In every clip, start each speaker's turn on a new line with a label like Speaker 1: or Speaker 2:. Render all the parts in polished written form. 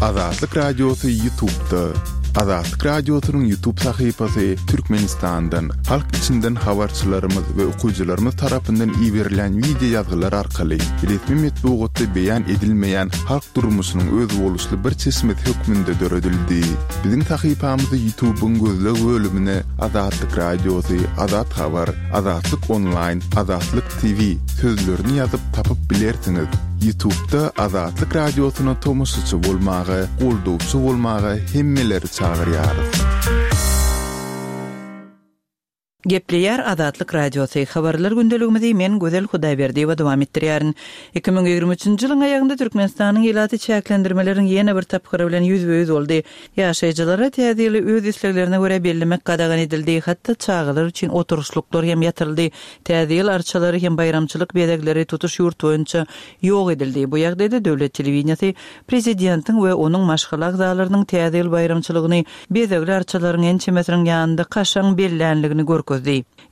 Speaker 1: Azatlyk Radiosy Ýutubda. Azatlyk Radiosynyň Ýutub sahypasy Türkmenistandan, halk içinden habarçylarymyz we okyjylarymyz tarapyndan iberilýän wideo ýazgylar arkaly resmi metbugatda beýan edilmeýän halk durmuşynyň özboluşly bir çeşmesi hökmünde döredildi. Biziň sahypamyzy Ýutubyň gözleg bölümine Azatlyk Radiosy, Azat Habar, Azatlyk Onlaýn, Azatlyk TV sözlerini ýazyp tapyp bilersiňiz. Ýutubda Azatlyk Radiosyna tomaşaçy bolmaga, goldawçy bolmaga hemmeleri çagyrýarys.
Speaker 2: Gepleýär Azatlyk Radiosy, Habarlar gündeligimizi men Gözel Hudaýberdiýewa dowam etdirýärin. 2023-nji ýylyň aýagynda Türkmenistanyň ilaty çäklendirmeleriň ýene bir tapgyry bilen ýüzbe-ýüz boldy. Ýaşaýjylara Täze ýyly öz isleglerine görä bellemek gadagan edildi, hatda çagalar üçin oturyşlyklar hem ýatyryldy. Täze ýyl arçalary hem baýramçylyk bezegleri tutuş ýurt boýunça ýok edildi. Bu ýagdaýda döwlet telewideniýesi prezidentiň we onuň maşgala agzalarynyň Täze ýyl baýramçylygyny bezegli arçalaryň ençemesiniň ýanynda kaşaň bellänligini görkezdi.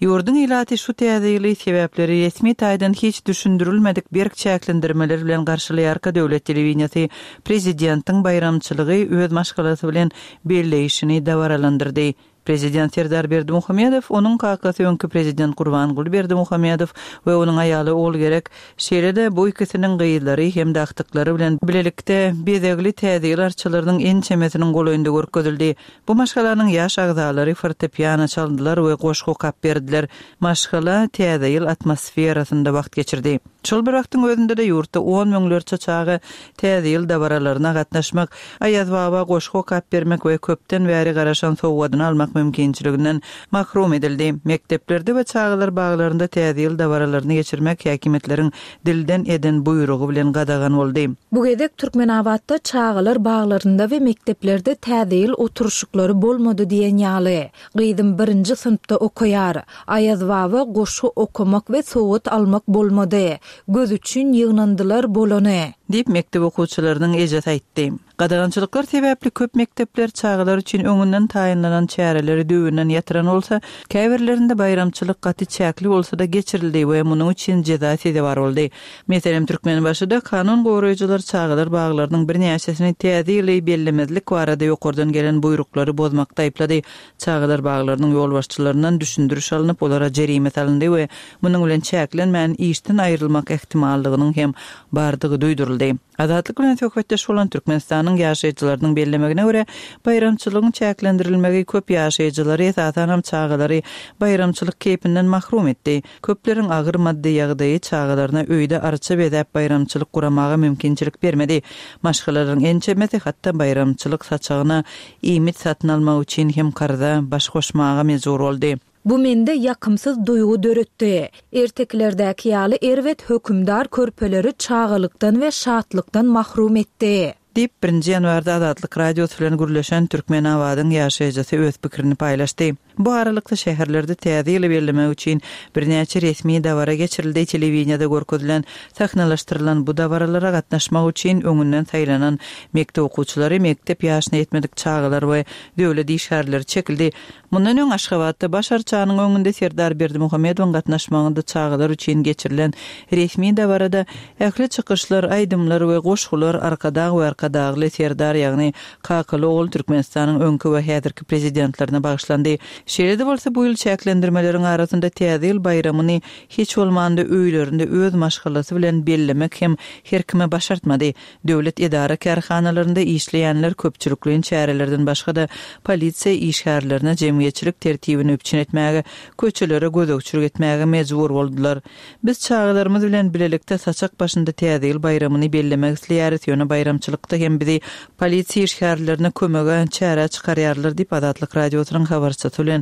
Speaker 2: Ýurduň ilaty şu Täze ýyly sebäpleri resmi taýdan hiç düşündirilmedik berk çäklendirmeler bilen garşylaýarka döwlet telewideniýesi prezidentiň baýramçylygy öz maşgalasy bilen belleýşini dabaralandyrdy. Prezident Serdar Berdimuhamedow, onuň kakasy öňki prezident Gurbanguly Berdimuhamedow we onuň aýaly Ogulgerek, şeýle-de bu ikisiniň gyzlary hem-de agtyklary bilen bilelikde bezegli Täze ýyl arçalarynyň ençemesiniň golaýynda görkezildi. Bu maşgalanyň ýaş agzalary fortepiano çaldylar we goşgy okap berdiler. Maşgala Täze ýyl atmosferasynda wagt geçirdi. Şol bir wagtyň özünde-de ýurtda on müňlerçe çaga Täze ýyl dabaralaryna gatnaşmak, Aýazbaba goşgy okap bermek we köpden bäri garaşan sowgadyny almak mümkinçiliginden mahrum edildi. Mekdeplerde we çagalar baglarynda Täze ýyl dabaralaryny geçirmek häkimiýetleriň dilden eden buýrugy bilen gadagan boldy.
Speaker 3: Bu gezek Türkmenabatda çagalar baglarynda we mekdeplerde Täze ýyl oturyşyklary bolmady diýen ýaly. Gyzym birinji synpda okaýar. Aýazbaba goşgy okamak we sowgat almak bolmady. Göz üçin ýygnandylar bolany.
Speaker 2: Diýip, mekdep okuwçylarynyň ejesi aýtdy. Gadagançylyklar sebäpli köp mekdepler çagalar üçin öňünden taýynlanan çäreleri düýbünden ýatyran bolsa, käbirlerinde baýramçylyk gaty çäkli bolsa-da geçirildi we munuň üçin jeza sezewar boldy. Meselem, Türkmenbaşyda kanun goraýjylar çagalar baglarynyň birnäçesini Täze ýyly bellemezlik barada ýokardan gelen buýruklary bozmakda aýyplady. Çagalar baglarynyň ýolbaşçylaryndan düşündiriş alnyp, olara jerime salyndy we munuň bilen çäklenmän, işden aýrylmak ähtimallygynyň hem bardygy duýduryldy. Azatlyk bilen söhbetdeş bolan Türkmenistanyň ýaşaýjylarynyň bellemegine görä, baýramçylygyň çäklendirilmegi köp ýaşaýjylary, esasanam çagalary baýramçylyk keýpinden mahrum etdi. Köpleriň agyr maddy ýagdaýy çagalaryna öýde arça bezäp baýramçylyk guramaga mümkinçilik bermedi. Maşgalalaryň ençemesi hatda baýramçylyk saçagyna iýmit satyn almak üçin hem karza baş goşmaga mejbur boldy.
Speaker 3: Bu mende ýakymsyz duýgy döretdi. Ertekilerdäki ýaly erbet hökümdar körpeleri çagalykdan we şatlykdan mahrum etdi.
Speaker 2: Diýip, birinji ýanwarda Azatlyk Radiosy bilen gürleşen Türkmenabadyň ýaşaýjysy öz pikirini paýlaşdy. Bu aralykda, şäherlerde Täze ýyly bellemek üçin birnäçe resmi dabara geçirildi, telewideniýede görkezilen sahnalaşdyrylan bu dabaralara gatnaşmak üçin öňünden saýlanan mekdep okuwçylary, mekdep ýaşyna ýetmedik çagalar we döwlet işgärleri çekildi. Mundan öň Aşgabatda Baş arçanyň öňünde Serdar Berdimuhamedowyň gatnaşmagynda çagalar üçin geçirilen resmi dabarada ähli çykyşlar, aýdymlar we goşgular Arkadag we Arkadagly Serdar, ýagny kakaly ogul Türkmenistanyň öňki we häzirki Prezidentlerine bagyşlandy. Şeýle-de bolsa, bu ýyl çäklendirmeleriň arasynda Täze ýyl baýramyny hiç bolmanda öýlerinde öz maşgalasy bilen bellemek hem her kime başartmady. Döwlet edara-kärhanalarynda işleýänler köpçülikleýin çärelerden başga-da, polisiýa işgärlerine jemgyýetçilik tertibini üpjün etmäge, köçelere gözegçilik etmäge mejbur boldular. Biz çagalarymyz bilen bilelikde saçak başynda Täze ýyl baýramyny bellemek isleýäris, ýöne baýramçylykda hem bizi polisiýa işgärlerine kömege, çärä çykarýarlar diýip, Azatlyk Radiosynyň habarçysy bilen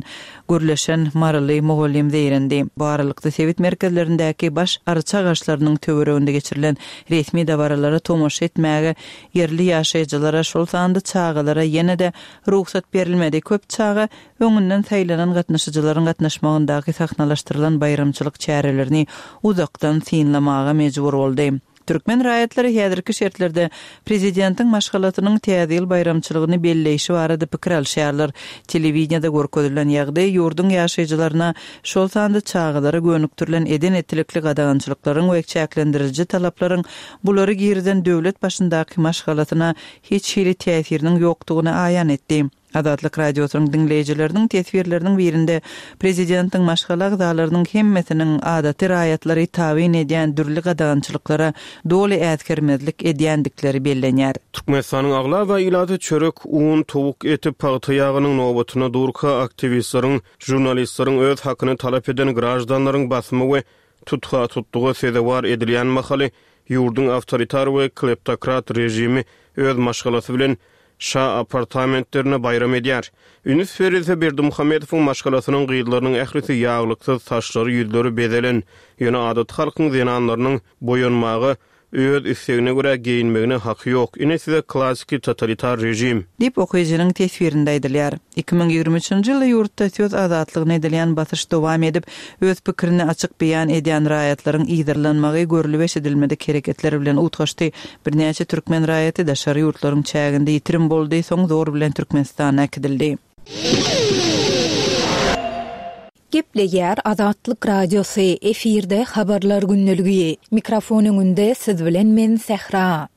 Speaker 2: gürleşen maryly mugallym zeýrendi. Bu aralykda, sebit merkezlerindäki baş arça agaçlarynyň töwereginde geçirilen resmi dabaralara tomaşa etmäge ýerli ýaşaýjylara, şol sanda çagalara ýene-de rugsat berilmedi. Köp çaga öňünden saýlanan gatnaşyjylaryň gatnaşmagyndaky sahnalaşdyrylan baýramçylyk çärelerini uzakdan synlamaga mejbur boldy. Türkmen raýatlary häzirki şertlerde prezidentiň maşgalasynyň Täze ýyl baýramçylygyny belleýşi barada pikir alyşýarlar. Telewideniýede görkezilen ýagdaý ýurduň ýaşaýjylaryna, şol sanda çagalara gönükdirilen eden-etdilikli gadagançylyklaryň we çäklendiriji talaplaryň bulary girizen döwlet başyndaky maşgalasyna hiç hili täsiriniň ýokdugyny aýan etdi. Azatlyk Radiosynyň diňleýjileriniň teswirleriniň birinde prezidentiň maşgala agzalarynyň hemmesiniň adaty raýatlary tabyn edýän dürli gadagançylyklara doly äsgermezlik edýändikleri bellenýär.
Speaker 4: Türkmenistanyň aglaba ilaty çörek, un, towuk eti, pagta ýagynyň nobatynda durka, aktiwistleriň, žurnalistleriň öz hakyny talap eden graždanlaryň basymy we tutha-tutluga sezewar edilýän mahaly ýurduň awtoritar we kleptokrat režimi öz maşgalasy bilen şa apartamentlerinde baýram edýär. Üns berilse, Berdimuhamedowyň maşgalasynyň gyzlarynyň ählisi ýaglyksyz, saçlary, ýüzleri bezelen. Ýöne adaty halkyň zenanlarynyň boýanmaga, öz islegine görä geýinmegine haky ýok. Ine size klassiki totalitar režim.
Speaker 2: Diýip, okyjynyň teswirinde aýdylýar. 2023-nji ýylda ýurtda söz azatlygyna edilýän basyş dowam edip, öz pikirini açyk beýan edýän raýatlaryň yzarlanmagy görlüp-eşidilmedik hereketler bilen utgaşdy. Birnäçe türkmen raýaty daşary ýurtlaryň çäginde ýitirim boldy, soň zor bilen Türkmenistana äkidildi.
Speaker 3: Gepleýär Azatlyk Radiosy, efirde Habarlar gündeligi. Mikrofon öňünde siz bilen men Sähra.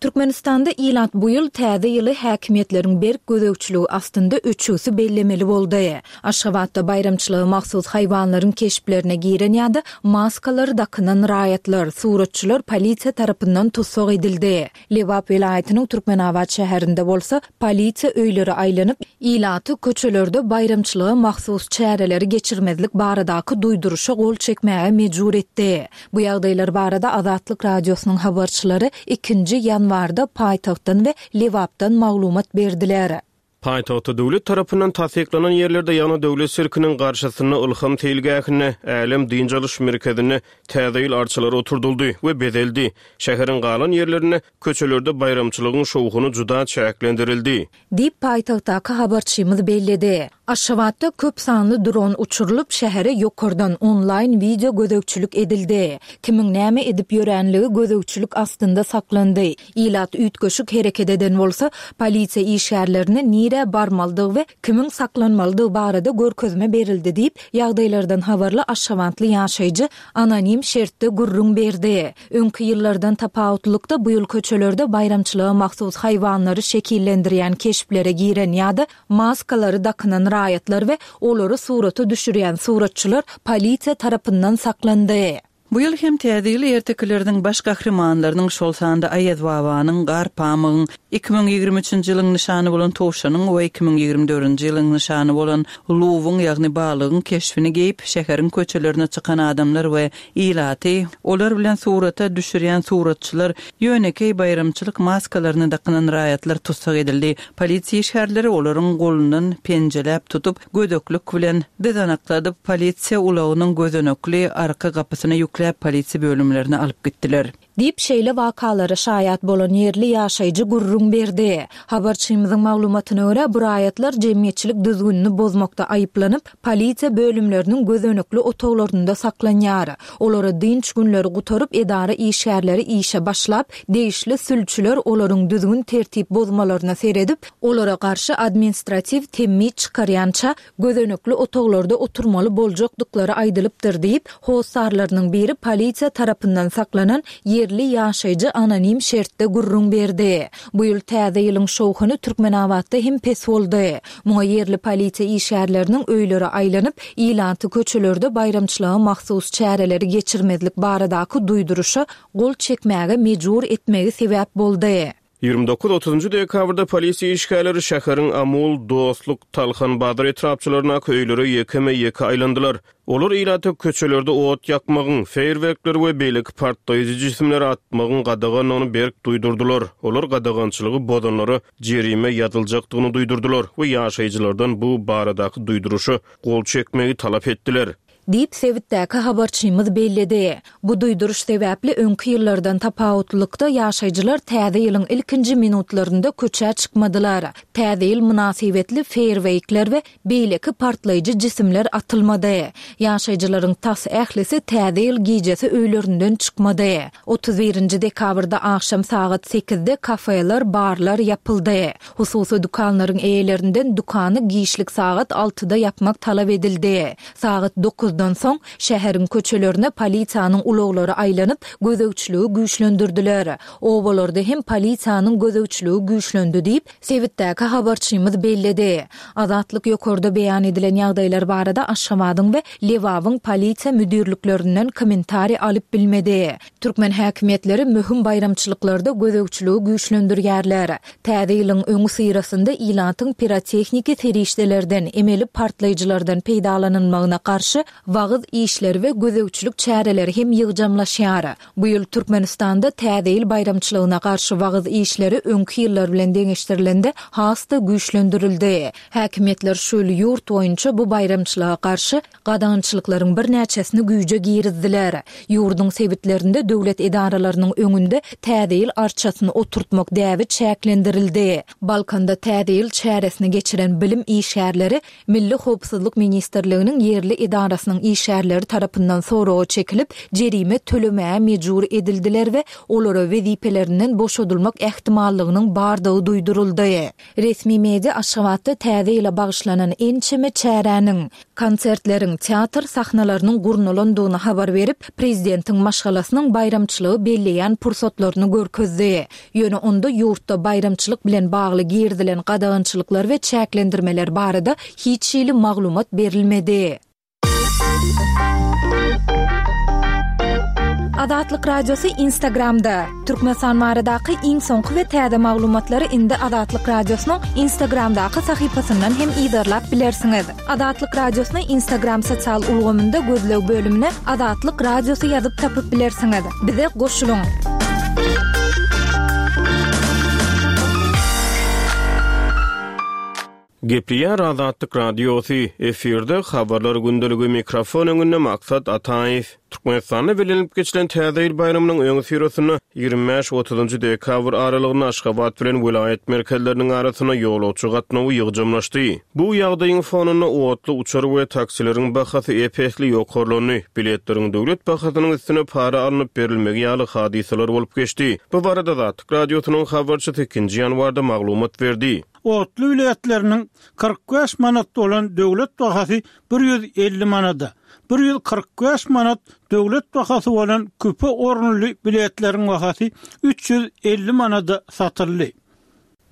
Speaker 3: Türkmenistanda ilat bu ýyl Täze ýyly häkimiýetleriň berk gözegçiligi astynda öçügsi bellemeli boldy. Aşgabatda baýramçylyga mahsus haýwanlaryň keşplerine giren ýa-da maskalary dakynan raýatlar, suratçylar polisiýa tarapyndan tussag edildi. Lebap welaýatynyň Türkmenabat şäherinde bolsa, polisiýa öýlere aýlanyp, ilaty köçelerde baýramçylyga mahsus çäreleri geçirmezlik baradaky duýduryşa gol çekmäge mejbur etdi. Bu ýagdaýlar barada Azatlyk Radiosynyň habarçylary ikinji ýanwarda paýtagtdan we Lebapdan maglumat berdiler.
Speaker 4: Paýtagtda döwlet tarapyndan tassyklanan ýerlerde, ýagny Döwlet sirkiniň garşysynda, Ylham seýilgähinde, Älem dynç alyş merkezinde Täze ýyl arçalary oturdyldy we bezeldi. Şäheriň galan ýerlerinde, köçelerde baýramçylygyň şowhuny juda çäklendirildi.
Speaker 3: Diýip, paýtagtdaky habarçymyz belledi. Aşgabatda köp sanly dron uçurylyp, şähere ýokardan onlaýn wideo gözegçilik edildi. Kimiň näme edip ýöränligi gözegçilik astynda saklandy. Ilat üýtgeşik hereket eden bolsa, polisiýa işgärlerine nirä barmalydygy we kimiň saklanmalydygy barada görkezme berildi diýip, ýagdaýlardan habarly aşgabatly ýaşaýjy anonim şertde gürrüň berdi. Öňki ýyllardan tapawutlylykda, bu ýyl köçelerde baýramçylyga mahsus haýwanlary şekillendirýän keşplere giren ýa-da maskalary dakynan raýatlar we olary surata düşürýän suratçylar polisiýa tarapyndan saklandy.
Speaker 2: Bu ýyl hem Täze ýyl ertekileriniň baş gahrymanlarynyň, şol sanda Aýazbabanyň, Garpamygyň, 2023-nji ýylyň nyşany bolan towşanyň we 2024-nji ýylyň nyşany bolan luwyň, ýagny balygyň keşbini geýip, şäheriň köçelerine çykan adamlar we ilaty, olar bilen surata düşürýän suratçylar, ýönekeý baýramçylyk maskalaryny dakynan raýatlar tussag edildi. Polisiýa işgärleri olaryň golundan penjeläp tutup, gödeklik bilen dyzanakladyp, polisiýa ulagynyň gözenekli arka gapysyna ýükläp, polisiýa bölümlerine alyp gitdiler.
Speaker 3: Diýip, şeýle wakalara şaýat bolan ýerli ýaşaýjy gürrüň berdi. Habarçymyzyň maglumatyna görä, bu raýatlar jemgyýetçilik düzgünini bozmakda aýyplanyp, polisiýa bölümleriniň gözenekli otaglarynda saklanýar. Olara dynç günleri gutaryp, edara işgärleri işe başlap, degişli sülçüler olaryň düzgün-tertip bozmalaryna seredip, olara garşy administratiw temmi çykarýança, gözenekli otaglarda oturmaly boljakdyklary aýdylypdyr diýip, hossarlarynyň biri polisiýa tarapyndan saklanan ýerli ýaşaýjy anonim şertde gürrüň berdi. Bu ýyl Täze ýylyň şowhuny Türkmenabatda hem pes boldy. Muňa ýerli polisiýa işgärleriniň öýlere aýlanyp, ilaty köçelerde baýramçylyga mahsus çäreleri geçirmezlik baradaky duýduryşa gol çekmäge mejbur etmegi sebäp boldy.
Speaker 4: 29 otuzynjy dekabrda polisiýa işgärleri şäheriň Amul, Dostluk, Talhan bazar etrapçalaryndaky öýlere ýekeme-ýeke aýlandylar. Olar ilata köçelerde ot ýakmagyň, feýerwerkleri we beýleki partlaýjy jisimleri atmagyň gadagandygyny berk duýdurdylar. Olar gadagançylygy bozanlara jerime ýazyljakdygyny duýdurdylar we ýaşaýjylardan bu baradaky duýduryşa gol çekmegi talap etdiler.
Speaker 3: Diýip, sebitdäki habarçymyz belledi. Bu duýduryş sebäpli öňki ýyllardan tapawutlylykda ýaşaýjylar Täze ýylyň ilkinji minutlarynda köçä çykmadylar. Täze ýyl mynasybetli feýerweýkler we beýleki partlaýjy jisimler atylmady. Ýaşaýjylaryň tas ählisi Täze ýyl gijesi öýlerinden çykmady. 31-nji dekabrda agşam sagat sekizde kafeler, barlar ýapyldy. Hususy dükanlaryň eýelerinden dükany giçlik sagat altyda ýapmak talap edildi. Sagat dokuzdan soň, şäheriň köçelerine polisiýanyň ulaglary aýlanyp, gözegçiligi güýçlendirdiler. Obalarda hem polisiýanyň gözegçiligi güýçlendi diýip, sebitdäki habarçymyz belledi. Azatlyk ýokarda beýan edilen ýagdaýlar barada Aşgabadyň we Lebabyň polisiýa müdirliklerinden kommentariý alyp bilmedi. Türkmen häkimiýetleri möhüm baýramçylyklarda gözegçiligi güýçlendirýärler. Täze ýylyň öňüsyrasynda ilatyň pirotehniki serişdelerden, emeli partlaýjylardan peýdalanylmagyna garşy wagyz işleri we gözegçilik çäreleri hem ýygjamlaşýar. Bu ýyl Türkmenistanda Täze ýyl baýramçylygyna garşy wagyz işleri öňki ýyllar bilen deňeşdirilende has-da güýçlendirildi. Häkimiýetler şu ýyl ýurt boýunça bu baýramçylyga garşy gadagançylyklaryň birnäçesini güýje girizdiler. Ýurduň sebitlerinde döwlet edaralarynyň öňünde Täze ýyl arçasyny oturtmak däbi çäklendirildi. Balkanda Täze ýyl çäresini geçiren bilim işgärleri Milli howpsuzlyk ministrliginiň ýerli edarasynyň işgärleri tarapyndan soraga çekilip, jerime tölemäge mejbur edildiler we olara wezipelerinden boşadylmak ähtimallygynyň bardygy duýduryldy. Resmi media Aşgabatda Täze ýyla bagyşlanan ençeme çäräniň, konsertleriň, teatr sahnalarynyň gurnalandygyny habar berip, prezidentiň maşgalasynyň baýramçylygy belleýän pursatlaryny görkezdi. Ýöne onda ýurtda baýramçylyk bilen bagly girizilen gadagançylyklar we çäklendirmeler barada hiç hili maglumat berilmedi. Azatlyk Radiosy Instagramda, Türkmenistan baradaky iň soňky we täze maglumatlary indi Azatlyk Radiosynyň Instagramdaky sahypasyndan hem yzarlap bilersiňiz. Azatlyk Radiosyny Instagram sosial ulgamynda gözleg bölümine Azatlyk Radiosy ýazyp tapyp bilersiňiz. Bize goşulyň!
Speaker 4: Gepleýär Azatlyk Radiosy, efirde Habarlar gündeligi, mikrofon öňünde Maksat Ataýew. Türkmenistanda bellenilip geçilen Täze ýyl baýramynyň öňüsyrasynda, 25, 30-njy dekabr aralygynda Aşgabat bilen welaýat merkezleriniň arasynda ýolagçy gatnawy ýygjamlaşdy. Bu ýagdaýyň fonunda otly, uçar we taksileriň bahasy ep-esli ýokarlandy, biletleriň döwlet bahasynyň üstüne para alnyp berilmegi ýaly hadysalar bolup geçdi. Bu barada Azatlyk Radiosynyň habarçysy ikinji ýanwarda maglumat berdi.
Speaker 5: Otly biletleriniň 45 manat bolan döwlet bahasy 150 manada, 145 manat döwlet bahasy bolan küpe orunly biletleriň bahasy 350 manada satyldy.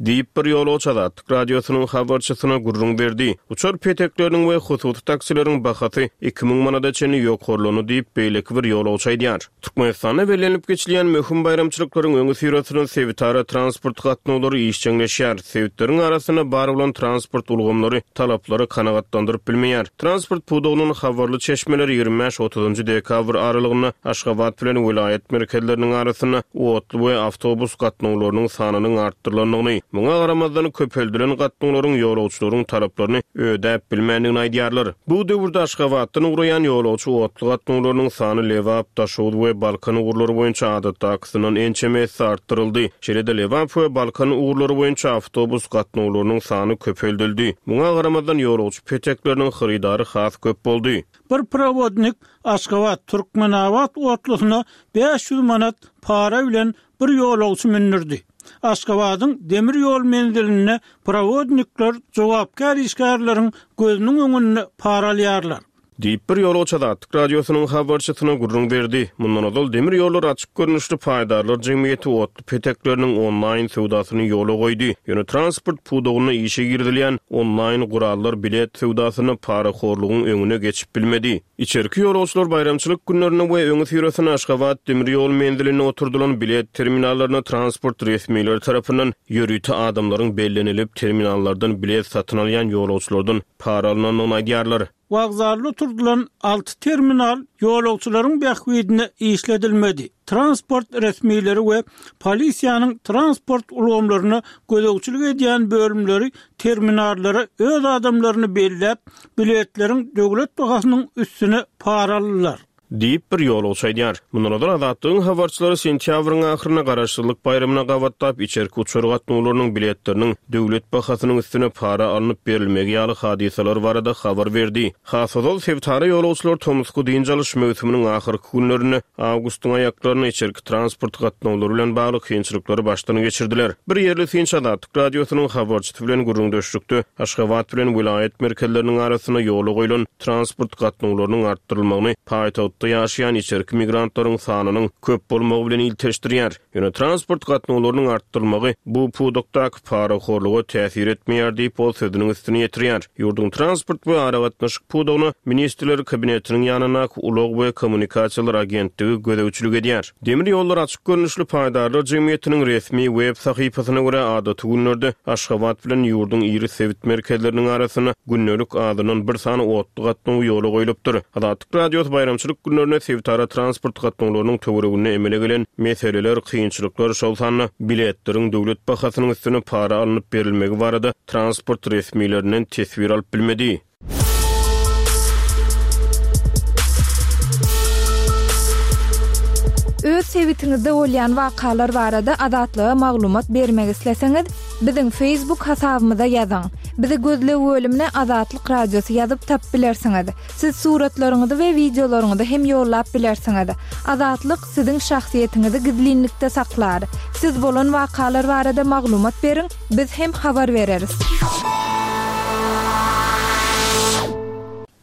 Speaker 4: Diýip, bir ýolagçy Azatlyk Radiosynyň habarçysyna gürrüň berdi. Uçar petekleriniň we hususy taksileriň bahasy 2000 manada çenli ýokarlandy diýip, beýleki bir ýolagçy aýdýar. Türkmenistanda bellenilip geçilýän möhüm baýramçylyklaryň öňüsyrasynda sebitara transport gatnawlary işjeňleşýär. Sebitleriň arasynda bar bolan transport ulgamlary talaplary kanagatlandyryp bilmeýär. Transport pudagyndan habarly çeşmeler 25, otuzynjy dekabr aralygynda Aşgabat bilen welaýat merkezleriniň arasynda otly we awtobus gatnawlarynyň sanynyň artdyrylandygyny, muňa garamazdan, köpeldilen gatnawlaryň ýolagçylaryň talaplaryny ödäp bilmändigini aýdýarlar. Bu döwürde Aşgabatdan ugraýan ýolagçy otly gatnawlarynyň sany Lebap, Daşoguz we Balkan ugurlary boýunça adatdakysyndan ençeme esse artdyryldy. Şeýle-de Lebap we Balkan ugurlary boýunça awtobus gatnawlarynyň sany köpeldildi. Muňa garamazdan, ýolagçy petekleriniň hyrydary has köp boldy.
Speaker 5: Bir prowodnik Aşgabat, Türkmenabat otlusyna 500 manat para bilen bir ýolagçy mündürdi. Aşgabadyň demir ýol menzilinde prowodnikler jogapkär işgärleriň gözüniň öňünde para alýarlar.
Speaker 4: Diýip, bir ýolagçy Azatlyk Radiosynyň habarçysyna gürrüň berdi. Mundan ozal Demir ýollary açyk görnüşli paýdarlar jemgyýeti otly petekleriniň onlaýn söwdasyny ýola goýdy. Ýöne transport pudagynda işe girizilýän onlaýn gurallar bilet söwdasynda parahorlugyň öňüne geçip bilmedi. Içerki ýolagçylar baýramçylyk günlerinde we öňüsyrasynda Aşgabat demir ýol menzilinde oturdylan bilet terminallaryna transport resmileri tarapyndan ýörite adamlaryň bellenilip, terminallardan bilet satyn alýan ýolagçylardan para alnandygyny aýdýarlar.
Speaker 5: Wokzalda oturdylan alty terminal ýolagçylaryň bähbidine işledilmedi. Transport resmileri we polisiýanyň transport ulgamlaryna gözegçilik edýän bölümleri terminallara öz adamlaryny belläp, biletleriň döwlet bahasynyň üstüne para aldylar.
Speaker 4: Diýip, bir ýolagçy aýdýar. Mundan ozal Azatlygyň habarçylary sentýabryň ahyrynda Garaşsyzlyk baýramyna gabatlap içerki uçar gatnawlarynyň biletleriniň döwlet bahasynyň üstüne para alnyp berilmegi ýaly hadysalar barada habar berdi. Has ozal sebitara ýolagçylar tomusky dynç alyş möwsüminiň ahyrky günlerinde, awgustyň aýaklarynda içerki transport gatnawlary bilen bagly kynçylyklary başdan geçirdiler. Bir ýerli synçy Azatlyk Radiosynyň habarçysy bilen gürrüňdeşlikde Aşgabat bilen welaýat merkezleriniň arasynda ýola goýlan transport gatnawlarynyň artdyrylmagyny paýtagtda ýaşaýan içerki migrantlaryň sanynyň köp bolmagy bilen ilteşdirýär. Ýöne transport gatnawlarynyň artdyrylmagy bu pudakdaky parahorluga täsir etmeýär diýip, ol sözüniň üstüni ýetirýär. Ýurduň transport we aragatnaşyk pudagyna Ministrler Kabinetiniň ýanyndaky Ulag we kommunikasiýalar agentligi gözegçilik edýär. Demir ýollar açyk görnüşli paýdarlar jemgyýetiniň resmi web sahypasyna görä, adaty günlerde Aşgabat bilen ýurduň iri sebit merkezleriniň arasynda gündelik azyndan bir sany otly gatnawy ýola goýlupdyr. Azatlyk Radiosy baýramçylyk günlerinde sebitara transport gatnawlarynyň töwereginde emele gelen meseleler, kynçylyklar, şol sanda biletleriň döwlet bahasynyň üstüne para alnyp berilmegi barada transport resmilerinden teswir alyp bilmedi.
Speaker 3: Öz sebitiňizde bolýan wakalar barada Azatlyga maglumat bermek isleseňiz, biziň Facebook hasabymyza ýazyň. Bizi gözleg bölümine Azatlyk Radiosy ýazyp tapyp bilersiňiz. Siz suratlaryňyzy we wideolaryňyzy hem ýollap bilersiňiz. Azatlyk siziň şahsyýetiňizi gizlinlikde saklar. Siz bolan wakalar barada maglumat beriň, biz hem habar bereris.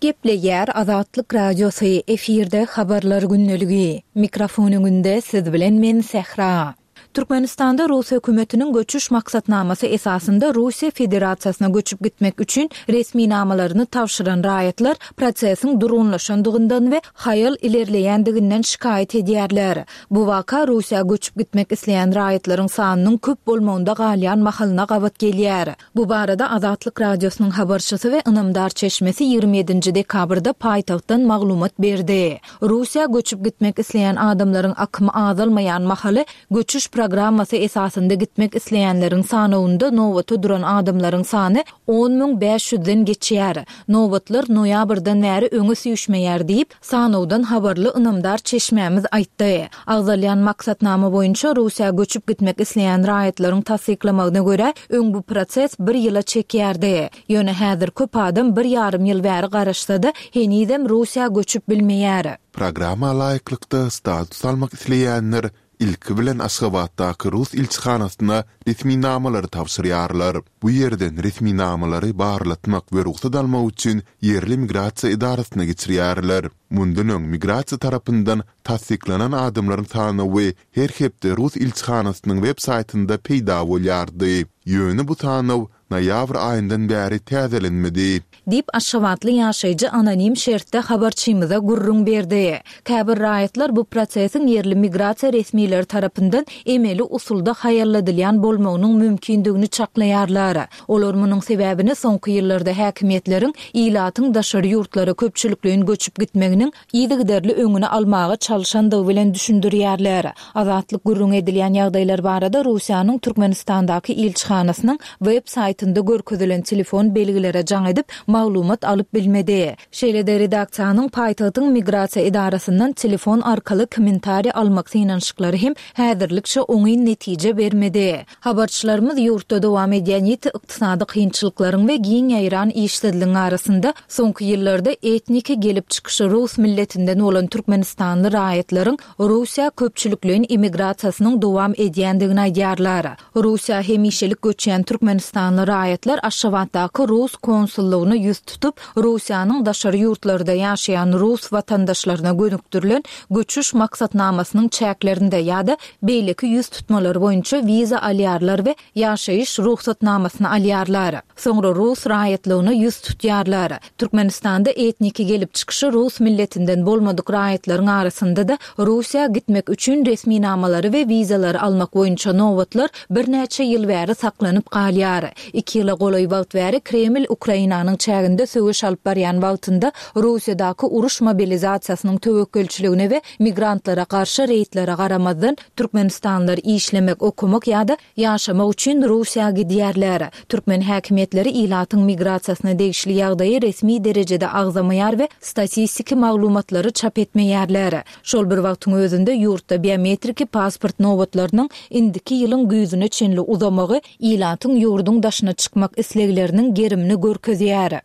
Speaker 3: Gepleýär Azatlyk Radiosy, efirde Habarlar gündeligi. Mikrofon öňünde siz bilen men Sähra. Türkmenistanda rus hökümetiniň göçüş maksatnamasy esasynda Russiýa Federasiýasyna göçüp gitmek üçin resminamalaryny tabşyran raýatlar prosesiň durgunlaşandygyndan we haýal ilerleýändiginden şikaýat edýärler. Bu waka Russiýa göçüp gitmek isleýän raýatlaryň sanynyň köp bolmagynda galýan mahalyna gabat gelýär. Bu barada Azatlyk Radiosynyň habarçysy we ynamdar çeşmesi 27-nji dekabrda paýtagtdan maglumat berdi. Russiýa göçüp gitmek isleýän adamlaryň akymy azalmaýan mahaly, göçüş programmasy esasynda gitmek isleýänleriň sanawynda nobata duran adamlaryň sany 10 500-den geçýär. Nobatlar noýabrdan bäri öňe süýşmeýär diýip, Sanawdan habarly ynamdar çeşmämiz aýtdy. Agzalýan maksatnama boýunça Russiýa göçüp gitmek isleýän raýatlaryň tassyklamagyna görä, öň bu proses bir ýyla çekýärdi. Ýöne häzir köp adam bir ýarym ýyl bäri garaşsa-da, henizem Russiýa göçüp bilmeýär.
Speaker 1: Programma laýyklykda status almak isleýänler ilki bilen Aşgabatdaky rus ilçihanasyna resminamalary tabşyrýarlar. Bu ýerden resminamalary barlatmak we rugsat almak üçin ýerli migrasiýa edarasyna geçirýärler. Mundan öň migrasiýa tarapyndan tassyklanan adamlaryň sanawy her hepde rus ilçihanasynyň web saýtynda peýda bolýardy. Ýöne bu sanaw noýabr aýyndan bäri täzelenmedi.
Speaker 3: Diýip, aşgabatly ýaşaýjy anonim şertde habarçymyza gürrüň berdi. Käbir raýatlar bu prosesiň ýerli migrasiýa resmileri tarapyndan emeli usulda haýalladylýan bolmagynyň mümkindigini çaklaýarlar. Olar munuň sebäbini soňky ýyllarda häkimiýetleriň ilatyň daşary ýurtlara köpçülikleýin göçüp gitmeginiň yzygiderli öňüni almaga çalyşandygy bilen düşündirýärler. Azatlyk gürrüňi edilýän ýagdaýlar barada Russiýanyň Türkmenistandaky ilçihanasynyň web saýtynda görkezilen telefon belgilere jaň edip, maglumat alyp bilmedi. Şeýle-de redaksiýanyň paýtagtyň migrasiýa edarasyndan telefon arkaly kommentariý almak synanyşyklary hem häzirlikçe oňyn netije bermedi. Habarçylarymyz ýurtda dowam edýän ýiti ykdysady kynçylyklaryň we giň ýaýran işsizligiň arasynda soňky ýyllarda etniki gelip çykyşy rus milletinden bolan türkmenistanly raýatlaryň Russiýa köpçülikleýin immigrasiýasynyň dowam edýändigini aýdýarlar. Russiýa hemişelik göçýän türkmenistanly raýatlar Aşgabatdaky rus konsullygyna ýüz tutup, Russiýanyň daşary ýurtlarda ýaşaýan rus watandaşlaryna gönükdirilen göçüş maksatnamasynyň çäklerinde ýa-da beýleki ýüz tutmalar boýunça wiza alýarlar we ýaşaýyş rugsatnamasyny alýarlar. Soňra rus raýatlygyna ýüz tutýarlar. Türkmenistanda etniki gelip çykyşy rus milletinden bolmadyk raýatlaryň arasynda-da Russiýa gitmek üçin resminamalary we wizalary almak boýunça nobatlar birnäçe ýyl bäri saklanyp galýar. Iki ýyla golaý wagt bäri Kreml Ukrainanyň çäginde söweş alyp barýan wagtynda Russiýadaky uruş mobilizasiýasynyň töwekgelçiligine we migrantlara garşy reýdlere garamazdan, türkmenistanlylar işlemek, okamak ýa-da ýaşamak üçin Russiýa gidýärler. Türkmen häkimiýetleri ilatyň migrasiýasyna degişli ýagdaýy resmi derejede agzamaýar we statistiki maglumatlary çap etmeýärler. Şol bir wagtyň özünde, ýurtda biometriki pasport nobatlarynyň indiki ýylyň güýzüne çenli uzamagy ilatyň ýurduň daşyna çykmak islegleriniň gerimini görkezýär.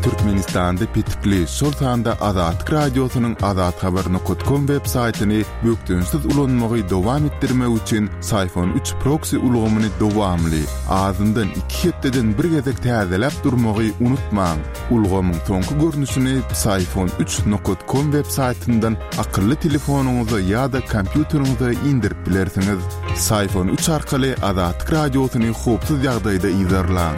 Speaker 1: Türkmenistanda petikli, şol sanda Azatlyk Radiosynyň azathabar nokat kom web saýtyny bökdençsiz ulanmagy dowam etdirmek üçin Syfon üç proksi ulgamyny dowamly, azyndan iki hepdeden bir gezek täzeläp durmagy unutmaň. Ulgamyň soňky görnüşini Psiphon üç nokat kom web saýtyndan akylly telefonyňyza ýa-da kompýuteriňize indirip bilersiňiz. Psiphon üç arkaly Azatlyk Radiosyny howpsuz ýagdaýda yzarlaň.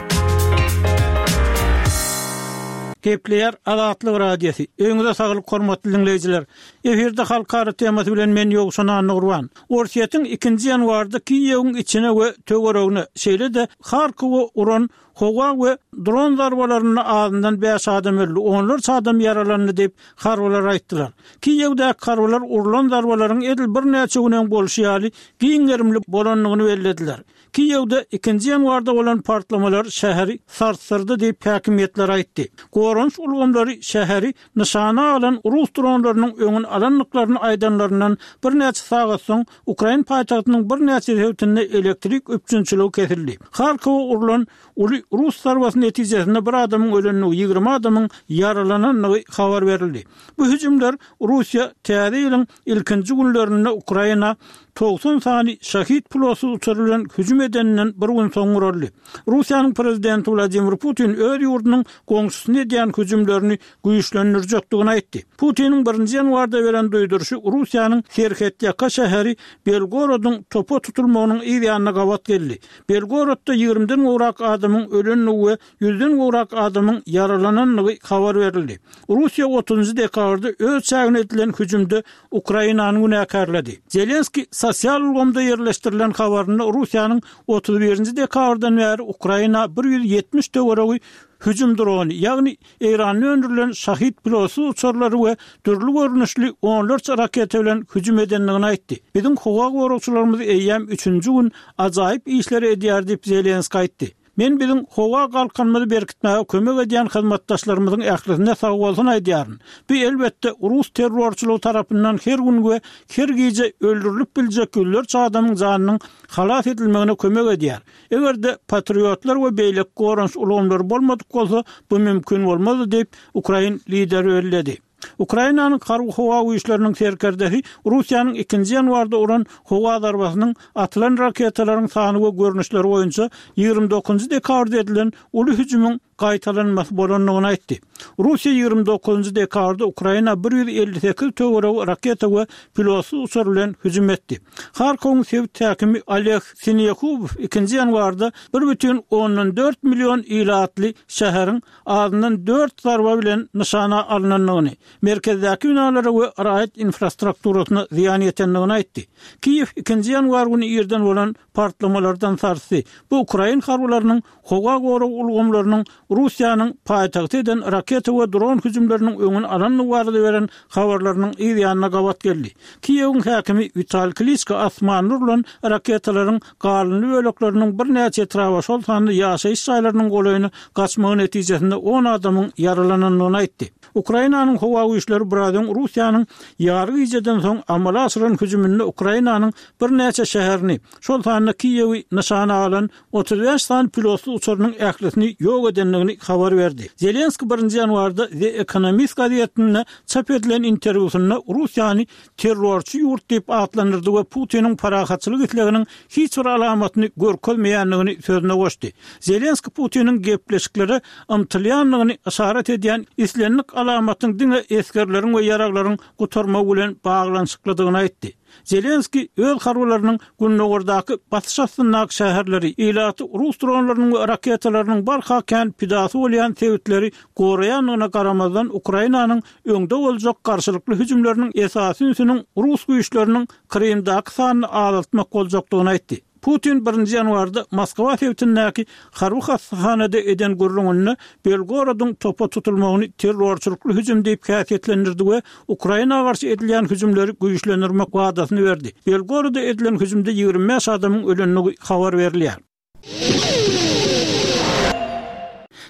Speaker 5: Gepleýär Azatlyk Radiosy. Öýüňize saglyk hormatly diňleýjiler. Efirde halkara temasy bilen men Ýowşan Annagurban. Orsýetiň ikinji ýanwarda Kiýewiň içine we töweregine, şeýle-de Harkowa uran Howa we dron zarbalarynda azyndan bäş adam öldi, onlarça adam ýaralandy diýip, harbylar aýtdylar. Kiýewdäki harbylar urlan zarbalaryň edil birnäçe gün öň bolşy ýaly giň gerimli bolandygyny bellediler. Kiýewde ikinji ýanwarda bolan partlamalar şäheri sarsdyrdy diýip, häkimiýetler aýtdy. Goranyş ulgamlary şäheri nyşana alan rus dronlarynyň öňüni alandyklaryny aýdanlaryndan birnäçe sagat soň, Ukrain paýtagtynyň birnäçe sebitinde elektrik üpjünçiligi kesildi. Harkowa urlan uly rus zarbasy netijesinde bir adamyň ölendigi, 20 adamyň ýaralanandygy habar berildi. Bu hüjümler Russiýa täze ýylyň ilkinji günlerinde Ukraina 90 sany Şahid pilotsyz uçary bilen hüjüm edeninden bir gün soň guraldy. Russiýanyň prezidenti Wladimir Putin öz ýurdunyň goňşusyna edýän hüjümlerini güýçlendirjekdigini aýtdy. Putiniň birinji ýanwarda beren duýduryşy Russiýanyň serhetýaka şäheri Belgorodyň topa tutulmagynyň yz ýanyna gabat geldi. Belgorodda ýigrimiden gowrak adamyň ölendigi we ýüzden gowrak adamyň ýaralanandygy habar berildi. Russiýa otuzynjy dekabrda öz çägine edilen hüjümde Ukrainany günäkärledi. Zelenskiý sosial ulgamda ýerleşdirilen habarynda Russiýanyň 31-nji dekabrdan bäri Ukraina 170 töweregi hüjüm drony, ýagny Eýranda öndürilen Şahid pilotsyz uçarlary we dürli görnüşli onlarça raketa bilen hüjüm edendigini aýtdy. Biziň howa goragçylarymyz eýýäm üçünji gün ajaýyp işleri edýär diýip, Zelenskiý aýtdy. Men biziň howa galkanymyzy berkitmäge kömek edýän hyzmatdaşlarymyzyň ählisine sagbolsun aýdýaryn. Bu, elbetde, rus terrorçylygy tarapyndan her gün we her gije öldürilip biljek ýüzlerçe adamyň janynyň halas edilmegine kömek edýär. Eger-de Patriotlar we beýleki goranyş ulgamlary bolmadyk bolsa, bu mümkin bolmazdy diýip, ukrain lideri belledi. Ukrainanyň Harby-howa güýçleriniň serkerdesi Russiýanyň ikinji ýanwarda uran howa zarbasynyň atylan raketalaryň sany we görnüşleri boýunça 29 dekabrda edilen uly hüjümiň gaýtalanmasy bolandygyny aýtdy. Russiýa 29 dekabrda Ukraina 158 töweregi raketa we pilotsyz uçar bilen hüjüm etdi. Harkowyň sebit häkimi Oleg Sinehubow ikinji ýanwarda 1,4 million ilatly şäheriň azyndan dört zarba bilen nyşana alnandygyny, merkezdäki binalara we raýat infrastrukturasyna zyýan ýetendigini aýtdy. Kiýew ikinji ýanwar güni irden bolan partlamalardan sarsdy. Bu ukrain harbylarynyň howa gorag ulgamlarynyň Russiýanyň paýtagta eden raketa we dron hüjümleriniň öňüni alandygy barada beren habarlarynyň yz ýanyna gabat geldi. Kiýewiň häkimi Witali Kliçko asmanda urlan raketalaryň galyndy bölekleriniň birnäçe etraba, şol sanda ýaşaýyş jaýlarynyň golaýyna gaçmagy netijesinde on adamyň ýaralanandygyny aýtdy. Ukrainanyň howa güýçleri biraz öň Russiýanyň ýary gijeden soň amala aşyran hüjüminde Ukrainanyň birnäçe şäherini, şol sanda Kiýewi nyşana alan 35 sany pilotsyz uçarynyň ählisini ýok edendigini habar berdi. Zelenskiý birinji ýanwarda The Economist gazetinde çap edilen interwýusynda Russiýany terrorçy ýurt diýip atlandyrdy we Putiniň parahatçylyk isleginiň hiç bir alamatyny görkezmeýändigini sözüne goşdy. Zelenskiý Putiniň gepleşiklere ymtylýandygyny yşarat edýän islendik alamatyň diňe esgerleriň we ýaraglaryň gutarmagy bilen baglanyşyklydygyny aýtdy. Zelenskiý öz harbylarynyň gündogardaky basyş astyndaky şäherleri, ilaty rus dronlarynyň we raketalarynyň barha kän pidasy bolýan sebitleri goraýandygyna garamazdan, Ukrainanyň öňde boljak garşylykly hüjümleriniň esasy ünsüniň rus güýçleriniň Krymdaky sanyny azaltmak boljakdygyny aýtdy. Putin birinji ýanwarda Moskwa sebitindäki harby hassahanada eden gürrüňinde Belgorodyň topa tutulmagyny terrorçylykly hüjüm diýip häsiýetlendirdi we Ukraina garşy edilýän hüjümleri güýçlendirmek wadasyny berdi. Belgoroda edilen hüjümde 25 adamyň ölendigi habar berilýär.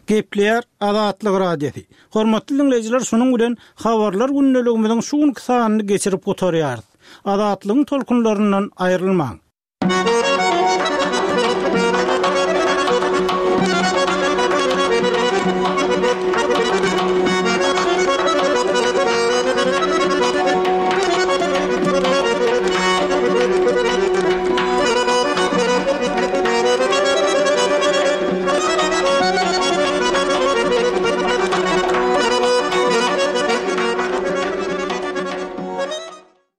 Speaker 5: Gepleýär Azatlyk Radiosy. Hormatly diňleýjiler, şunuň bilen Habarlar gündeligimiziň şu günki sanyny geçirip gutarýarys. Azatlygyň tolkunlaryndan aýrylmaň!